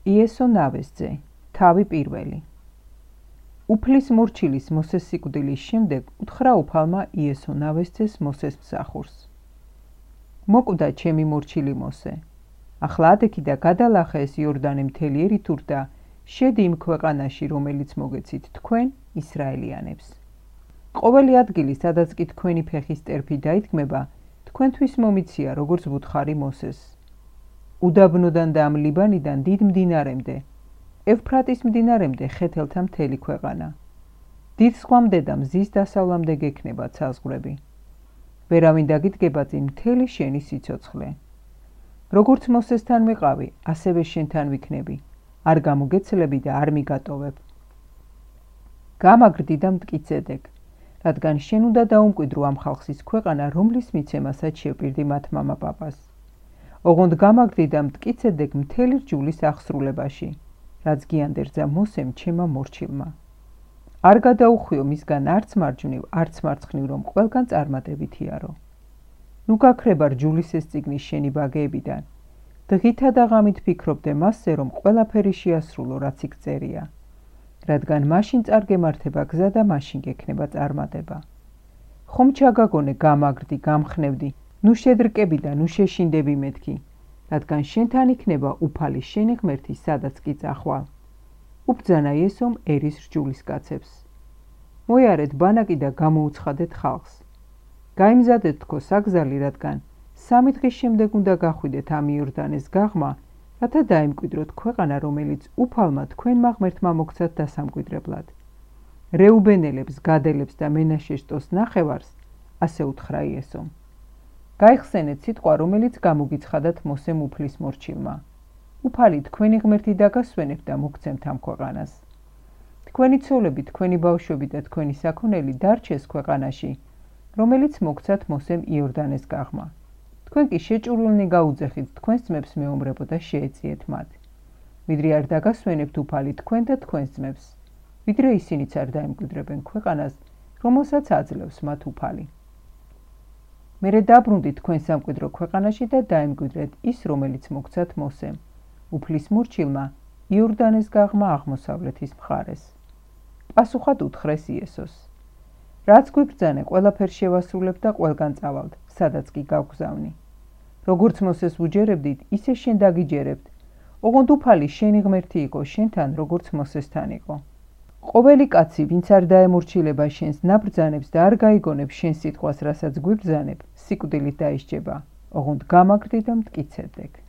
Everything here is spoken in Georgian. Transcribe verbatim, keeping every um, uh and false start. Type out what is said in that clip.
იესო ნავესზე, თავი პირველი. უფლის მორჩილის მოსეს სიკვდილის შემდეგ უთხრა უფალმა იესო ნავესძეს მოსეს მსახურს. მოკვდა ჩემი მორჩილი მოსე. ახლა ადექი და გადალახე ეს იორდანე მთელი ერითურ და შედი იმ ქვეყანაში, რომელიც მოგეცით თქვენ, ისრაელიანებს. ყოველი ადგილი, სადაც კი თქვენი ფეხის ტერფი დაიდგმება, თქვენთვის მომიცია, როგორც ვუთხარი მოსეს. უდაბნოდან და ამ ლიბანიდან დიდ მდინარემდე, ევფრატის მდინარემდე ხეთელთა მთელი ქვეყანა. დიდ ზღვამდე და მზის დასავლამდე გექნება საზღვრები. ვერავინ დაგიდგება წინ მთელი შენი სიცოცხლე. როგორც მოსესთან ვიყავი, ასევე შენთან ვიქნები, არ გამოგეცლები და არ მიგატოვებ. გამაგრდი და მტკიცედეკ, რადგან შენ უნდა დაუმკვიდრო ამ ხალხის ქვეყანა, რომლის მიცემასაც შევპირდი მათ მამაპაპას. ოღონდ გამაგრდი და მტკიცედეკ მთელი რჯულის აღსრულებაში, რაც გიანდერძა მოსემ ჩემმა მორჩილმა. არ გადაუხვიო მისგან არც მარჯვნივ, არც მარცხნივ, რომ ყველგან წარმატებითიარო. ნუ გაქრება რჯულის ეს წიგნი შენი ბაგეებიდან. დღითა და ღამით ფიქრობდე მასზე, რომ ყველაფერი შეასრულო, რაც იქ წერია. რადგან მაშინ წარგემართება გზა და მაშინ გექნება წარმატება. ხომ ჩაგაგონე გამაგრდი, გამხნევდი, ნუ შედრკები და ნუ შეშინდები მეთქი, რადგან შენთან იქნება უფალი შენი ღმერთი, სადაც კი წახვალ. უბძანა იესომ ერის რჯულის კაცებს. მოიარეთ ბანაკი და გამოუცხადეთ ხალხს. გაიმზადეთ თქო საგზალი, რადგან სამი დღის შემდეგ უნდა გახვიდეთ ამ იორდანეს გაღმა, რათა დაიმკვიდროთ ქვეყანა, რომელიც უფალმა თქვენმა ღმერთმა მოგცათ დასამკვიდრებლად. რეუბენელებს, გადელებს და მენაშე-შტოს ნახევარს, ასე უთხრა იესომ. გაიხსენეთ სიტყვა, რომელიც გამოგიცხადათ მოსემ უფლის მორჩილმა. უფალი თქვენი ღმერთი დაგასვენებთ და მოგცემთ ამ ქვეყანას. თქვენი ცოლები, თქვენი ბავშვები და თქვენი საქონელი დარჩეს ქვეყანაში, რომელიც მოგცათ მოსემ იორდანეს გაღმა. თქვენ კი შეჭურულნი გაუძეხით თქვენს ძმებს მეომრებო და შეეციეთ მათ. ვიდრე არ დაგასვენებთ უფალი თქვენ და თქვენს ძმებს, ვიდრე ისინიც არ დაემკვიდრებენ ქვეყანას, რომელსაც აძლევს მათ უფალი. მერე დაბრუნდით თქვენ სამკვიდრო ქვეყანაში და დაემკვიდრეთ ის, რომელიც მოგცათ მოსემ, უფლის მორჩილმა, იორდანეს გაღმა აღმოსავლეთის მხარეს. პასუხად უთხრეს იესოს. რაც გვიბრძანე, ყველაფერს შევასრულებ და ყველგან წავალთ, სადაც კი გავგზავნი. როგორც მოსეს უჯერებდით, ისე შენ დაგიჯერებთ, ოღონდ უფალი შენი ღმერთი იყო შენთან, როგორც მოსესთან იყო. ყოველი კაცი, ვინც არ დაემორჩილება შენს ნაბრძანებს და არ გაიგონებს შენ სიტყვას, რასაც გვიბრძანებ, სიკვდილით დაისჯება, ოღონდ გამაგრდი და მტკიცებდեք.